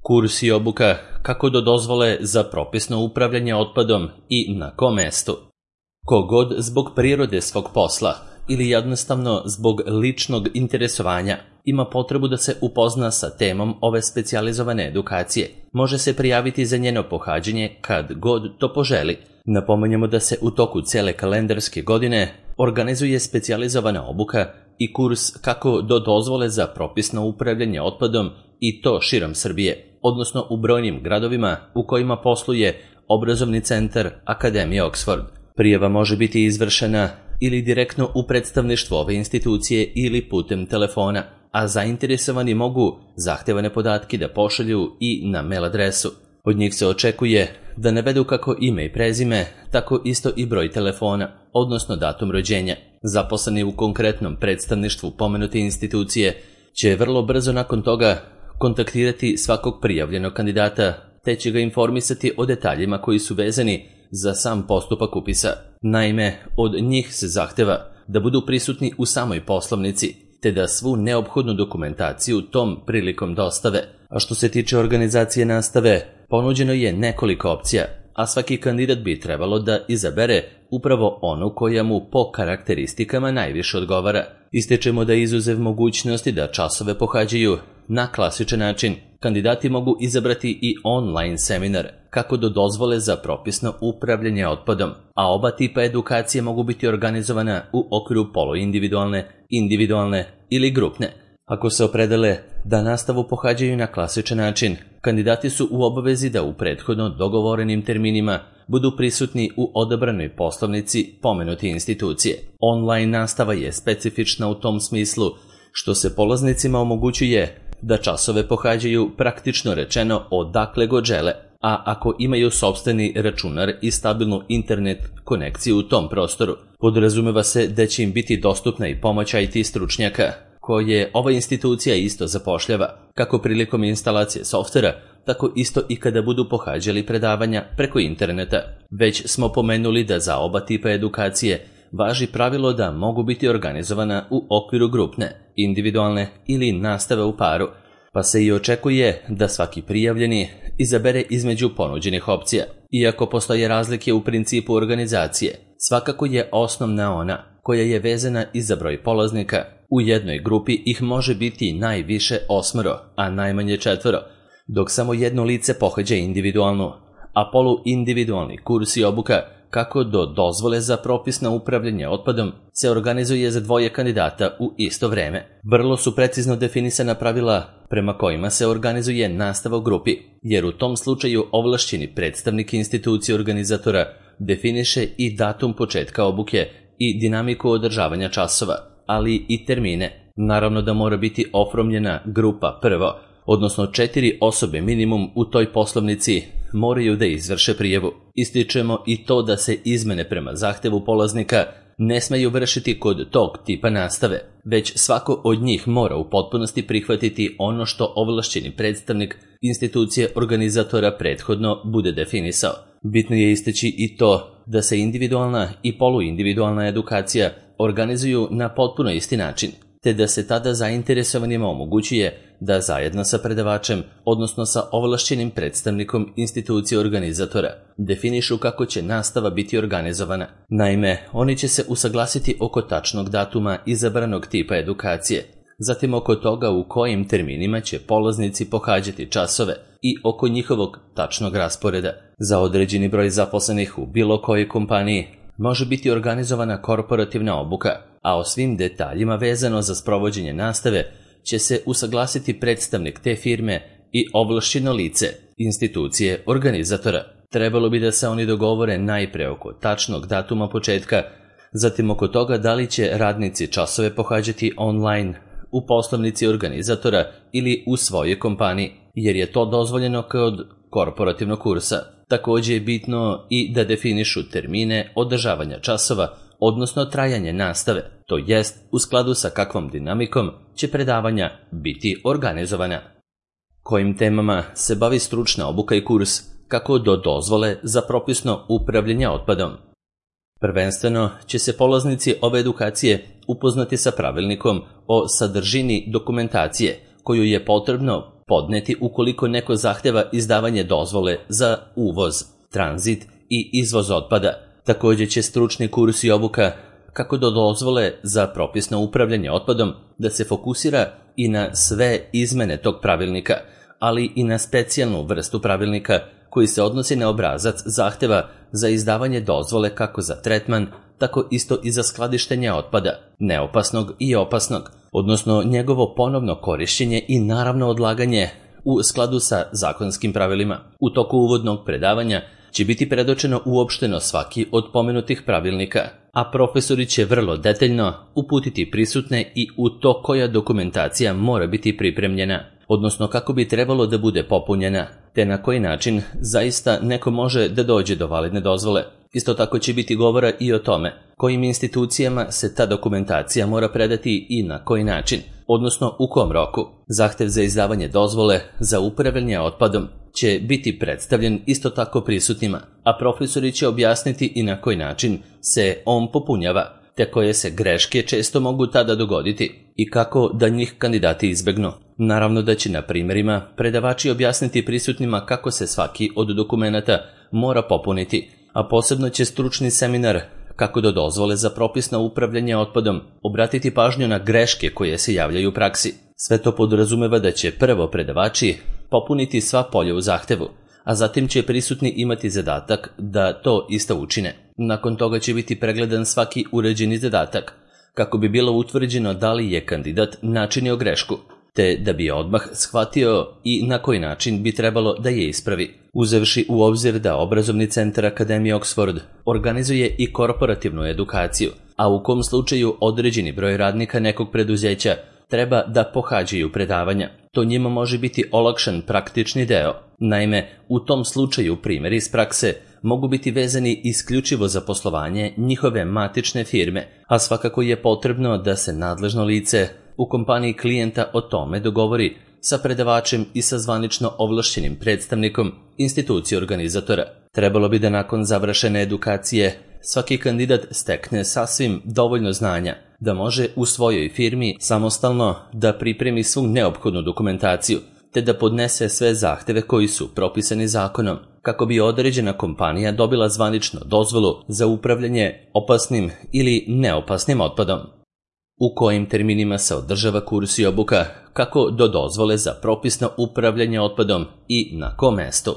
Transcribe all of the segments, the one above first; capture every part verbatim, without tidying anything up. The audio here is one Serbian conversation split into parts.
Kurs i obuka kako do dozvole za propisno upravljanje otpadom i na kom mestu. Kogod zbog prirode svog posla ili jednostavno zbog ličnog interesovanja ima potrebu da se upozna sa temom ove specijalizovane edukacije, može se prijaviti za njeno pohađanje kad god to poželi. Napominjemo da se u toku cele kalendarske godine organizuje specijalizovana obuka i kurs kako do dozvole za propisno upravljanje otpadom i to širom Srbije, odnosno u brojnim gradovima u kojima posluje obrazovni centar Akademije Oxford. Prijava može biti izvršena ili direktno u predstavništvu ove institucije ili putem telefona, a zainteresovani mogu zahtevane podatke da pošalju i na mail adresu. Od njih se očekuje da navedu kako ime i prezime, tako isto i broj telefona, odnosno datum rođenja. Zaposleni u konkretnom predstavništvu pomenute institucije će vrlo brzo nakon toga kontaktirati svakog prijavljenog kandidata, te će ga informisati o detaljima koji su vezani za sam postupak upisa. Naime, od njih se zahteva da budu prisutni u samoj poslovnici, te da svu neophodnu dokumentaciju tom prilikom dostave. A što se tiče organizacije nastave, ponuđeno je nekoliko opcija, a svaki kandidat bi trebalo da izabere upravo onu koja mu po karakteristikama najviše odgovara. Ističemo da izuzev mogućnosti da časove pohađaju na klasičan način, kandidati mogu izabrati i online seminar kako do dozvole za propisno upravljanje otpadom, a oba tipa edukacije mogu biti organizovana u okviru poluindividualne, individualne ili grupne. Ako se opredele da nastavu pohađaju na klasičan način, kandidati su u obavezi da u prethodno dogovorenim terminima budu prisutni u odabranoj poslovnici pomenute institucije. Online nastava je specifična u tom smislu što se polaznicima omogućuje da časove pohađaju praktično rečeno odakle god žele, a ako imaju sopstveni računar i stabilnu internet konekciju u tom prostoru, podrazumeva se da će im biti dostupna i pomoć I T stručnjaka, koje ova institucija isto zapošljava, kako prilikom instalacije softvera, tako isto i kada budu pohađali predavanja preko interneta. Već smo pomenuli da za oba tipa edukacije važi pravilo da mogu biti organizovana u okviru grupne, individualne ili nastave u paru, pa se i očekuje da svaki prijavljeni izabere između ponuđenih opcija. Iako postoje razlike u principu organizacije, svakako je osnovna ona koja je vezana i za broj polaznika. U jednoj grupi ih može biti najviše osmoro, a najmanje četvoro, dok samo jedno lice pohađa individualnu, a poluindividualni kurs i obuka kako do dozvole za propisno upravljanje otpadom se organizuje za dvoje kandidata u isto vreme. Vrlo su precizno definisana pravila prema kojima se organizuje nastava u grupi, jer u tom slučaju ovlašćeni predstavnik institucije organizatora definiše i datum početka obuke i dinamiku održavanja časova, ali i termine. Naravno da mora biti oformljena grupa prvo, odnosno četiri osobe minimum u toj poslovnici moraju da izvrše prijavu. Ističemo i to da se izmene prema zahtevu polaznika ne smeju vršiti kod tog tipa nastave, već svako od njih mora u potpunosti prihvatiti ono što ovlašćeni predstavnik institucije organizatora prethodno bude definisao. Bitno je istaći i to da se individualna i poluindividualna edukacija organizuju na potpuno isti način, te da se tada zainteresovanima omogućuje da zajedno sa predavačem, odnosno sa ovlašćenim predstavnikom institucije organizatora, definišu kako će nastava biti organizovana. Naime, oni će se usaglasiti oko tačnog datuma izabranog tipa edukacije, zatim oko toga u kojim terminima će polaznici pohađati časove i oko njihovog tačnog rasporeda. Za određeni broj zaposlenih u bilo kojoj kompaniji može biti organizovana korporativna obuka, a o svim detaljima vezano za sprovođenje nastave će se usaglasiti predstavnik te firme i ovlašćeno lice institucije organizatora. Trebalo bi da se oni dogovore najpre oko tačnog datuma početka, zatim oko toga da li će radnici časove pohađati online u poslovnici organizatora ili u svojoj kompaniji, jer je to dozvoljeno kod korporativnog kursa. Također je bitno i da definišu termine održavanja časova, odnosno trajanje nastave, to jest u skladu sa kakvom dinamikom će predavanja biti organizovana. Kojim temama se bavi stručna obuka i kurs kako do dozvole za propisno upravljanje otpadom. Prvenstveno će se polaznici ove edukacije upoznati sa pravilnikom o sadržini dokumentacije koju je potrebno podneti ukoliko neko zahteva izdavanje dozvole za uvoz, tranzit i izvoz otpada. Također će stručni kurs i obuka kako do dozvole za propisno upravljanje otpadom da se fokusira i na sve izmene tog pravilnika, ali i na specijalnu vrstu pravilnika koji se odnosi na obrazac zahteva za izdavanje dozvole kako za tretman, tako isto i za skladištenje otpada, neopasnog i opasnog, odnosno njegovo ponovno korišćenje i naravno odlaganje u skladu sa zakonskim pravilima. U toku uvodnog predavanja će biti predočeno uopšteno svaki od pomenutih pravilnika, a profesori će vrlo detaljno uputiti prisutne i u to koja dokumentacija mora biti pripremljena, odnosno kako bi trebalo da bude popunjena, te na koji način zaista neko može da dođe do validne dozvole. Isto tako će biti govora i o tome kojim institucijama se ta dokumentacija mora predati i na koji način, odnosno u kom roku. Zahtev za izdavanje dozvole za upravljanje otpadom će biti predstavljen isto tako prisutnima, a profesori će objasniti i na koji način se on popunjava, te koje se greške često mogu tada dogoditi i kako da njih kandidati izbegnu. Naravno da će na primjerima predavači objasniti prisutnima kako se svaki od dokumenata mora popuniti, a posebno će stručni seminar kako do dozvole za propisno upravljanje otpadom obratiti pažnju na greške koje se javljaju u praksi. Sve to podrazumeva da će prvo predavači popuniti sva polja u zahtevu, a zatim će prisutni imati zadatak da to isto učine. Nakon toga će biti pregledan svaki uređeni zadatak, kako bi bilo utvrđeno da li je kandidat načinio grešku, te da bi odmah shvatio i na koji način bi trebalo da je ispravi. Uzevši u obzir da obrazovni centar Akademije Oxford organizuje i korporativnu edukaciju, a u kom slučaju određeni broj radnika nekog preduzeća treba da pohađaju predavanja. To njima može biti olakšan praktični deo. Naime, u tom slučaju primjeri iz prakse mogu biti vezani isključivo za poslovanje njihove matične firme, a svakako je potrebno da se nadležno lice u kompaniji klijenta o tome dogovori sa predavačem i sa zvanično ovlašćenim predstavnikom institucije organizatora. Trebalo bi da nakon završene edukacije svaki kandidat stekne sasvim dovoljno znanja da može u svojoj firmi samostalno da pripremi svu neophodnu dokumentaciju, te da podnese sve zahteve koji su propisani zakonom, kako bi određena kompanija dobila zvanično dozvolu za upravljanje opasnim ili neopasnim otpadom. U kojim terminima se održava kurs i obuka kako do dozvole za propisno upravljanje otpadom i na kom mestu.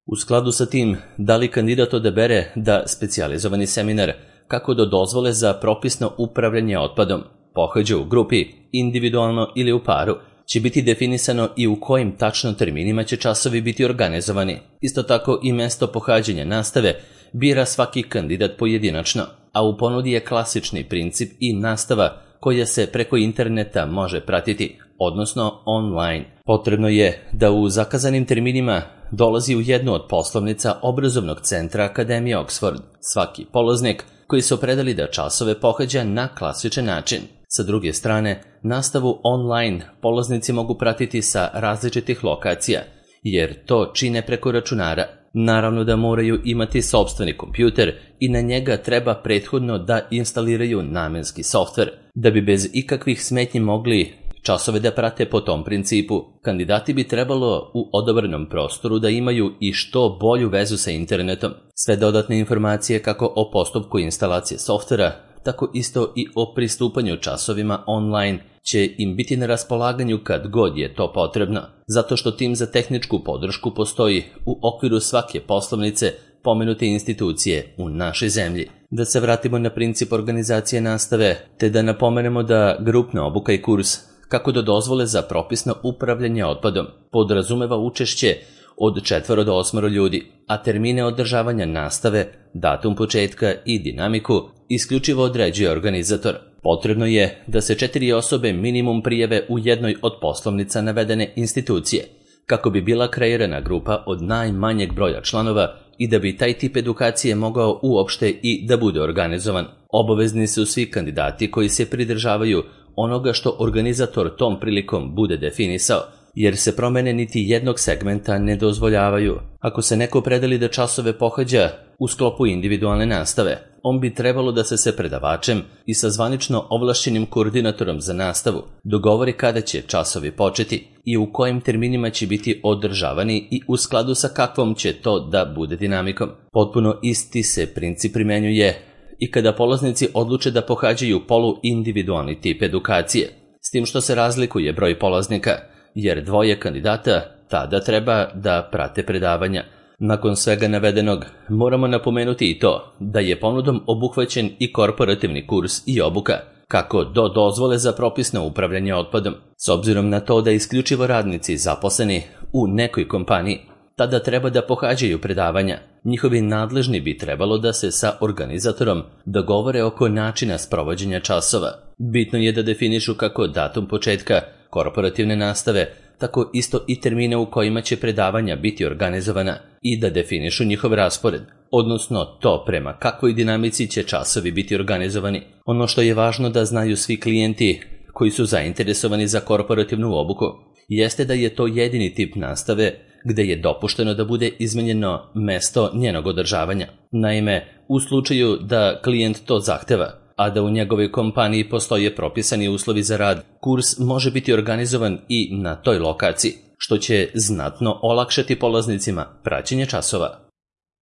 U skladu sa tim, da li kandidat odabere da specijalizovani seminar kako do dozvole za propisno upravljanje otpadom pohađa u grupi, individualno ili u paru, će biti definisano i u kojim tačno terminima će časovi biti organizovani. Isto tako i mesto pohađanja nastave bira svaki kandidat pojedinačno, a u ponudi je klasični princip i nastava koja se preko interneta može pratiti, odnosno online. Potrebno je da u zakazanim terminima dolazi u jednu od poslovnica obrazovnog centra Akademije Oxford svaki polaznik koji se opredeli da časove pohađa na klasičan način. Sa druge strane, nastavu online polaznici mogu pratiti sa različitih lokacija, jer to čine preko računara. Naravno da moraju imati sopstveni kompjuter i na njega treba prethodno da instaliraju namenski softver, da bi bez ikakvih smetnji mogli časove da prate po tom principu. Kandidati bi trebalo u odabranom prostoru da imaju i što bolju vezu sa internetom. Sve dodatne informacije kako o postupku instalacije softvera, tako isto i o pristupanju časovima online će im biti na raspolaganju kad god je to potrebno, zato što tim za tehničku podršku postoji u okviru svake poslovnice pomenute institucije u našoj zemlji. Da se vratimo na princip organizacije nastave, te da napomenemo da grupna obuka i kurs kako do dozvole za propisno upravljanje otpadom podrazumeva učešće od četvoro do osmoro ljudi, a termine održavanja nastave, datum početka i dinamiku isključivo određuje organizator. Potrebno je da se četiri osobe minimum prijave u jednoj od poslovnica navedene institucije, kako bi bila kreirana grupa od najmanjeg broja članova i da bi taj tip edukacije mogao uopšte i da bude organizovan. Obavezni su svi kandidati koji se pridržavaju onoga što organizator tom prilikom bude definisao, jer se promene niti jednog segmenta ne dozvoljavaju. Ako se neko predeli da časove pohađa u sklopu individualne nastave, on bi trebalo da se sa predavačem i sa zvanično ovlašćenim koordinatorom za nastavu dogovori kada će časovi početi i u kojim terminima će biti održavani i u skladu sa kakvom će to da bude dinamikom. Potpuno isti se princip primenjuje i kada polaznici odluče da pohađaju poluindividualni tip edukacije, s tim što se razlikuje broj polaznika, jer dvoje kandidata tada treba da prate predavanja. Nakon svega navedenog, moramo napomenuti i to da je ponudom obuhvaćen i korporativni kurs i obuka, kako do dozvole za propisno upravljanje otpadom. S obzirom na to da isključivo radnici zaposleni u nekoj kompaniji tada treba da pohađaju predavanja, njihovi nadležni bi trebalo da se sa organizatorom dogovore oko načina sprovođenja časova. Bitno je da definišu kako datum početka korporativne nastave, tako isto i termine u kojima će predavanja biti organizovana i da definišu njihov raspored, odnosno to prema kakvoj dinamici će časovi biti organizovani. Ono što je važno da znaju svi klijenti koji su zainteresovani za korporativnu obuku jeste da je to jedini tip nastave gde je dopušteno da bude izmenjeno mesto njenog održavanja. Naime, u slučaju da klijent to zahteva, a da u njegovoj kompaniji postoje propisani uslovi za rad, kurs može biti organizovan i na toj lokaciji, što će znatno olakšati polaznicima praćenje časova.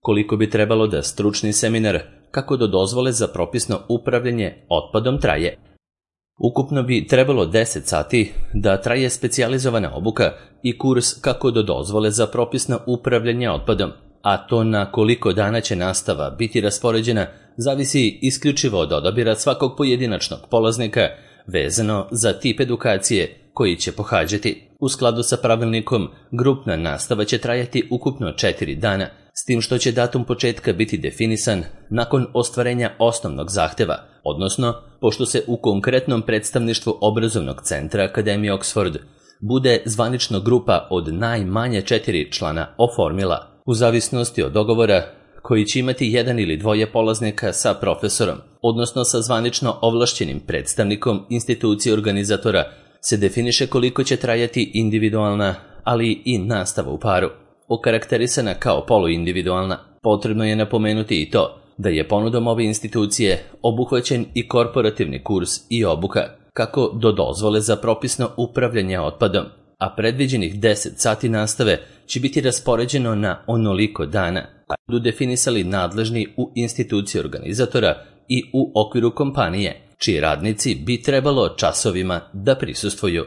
Koliko bi trebalo da stručni seminar kako do dozvole za propisno upravljanje otpadom traje? Ukupno bi trebalo deset sati da traje specijalizovana obuka i kurs kako do dozvole za propisno upravljanje otpadom, a to na koliko dana će nastava biti raspoređena zavisi isključivo od odabira svakog pojedinačnog polaznika vezano za tip edukacije koji će pohađati. U skladu sa pravilnikom, grupna nastava će trajati ukupno četiri dana, s tim što će datum početka biti definisan nakon ostvarenja osnovnog zahteva, odnosno pošto se u konkretnom predstavništvu obrazovnog centra Akademije Oxford bude zvanično grupa od najmanje četiri člana oformila, u zavisnosti od dogovora koji će imati jedan ili dvoje polaznika sa profesorom, odnosno sa zvanično ovlašćenim predstavnikom institucije organizatora, se definiše koliko će trajati individualna, ali i nastava u paru. Okarakterisana kao poluindividualna, potrebno je napomenuti i to da je ponudom ove institucije obuhvaćen i korporativni kurs i obuka, kako do dozvole za propisno upravljanje otpadom, a predviđenih deset sati nastave će biti raspoređeno na onoliko dana, a budu definisali nadležni u instituciji organizatora i u okviru kompanije, čiji radnici bi trebalo časovima da prisustvuju.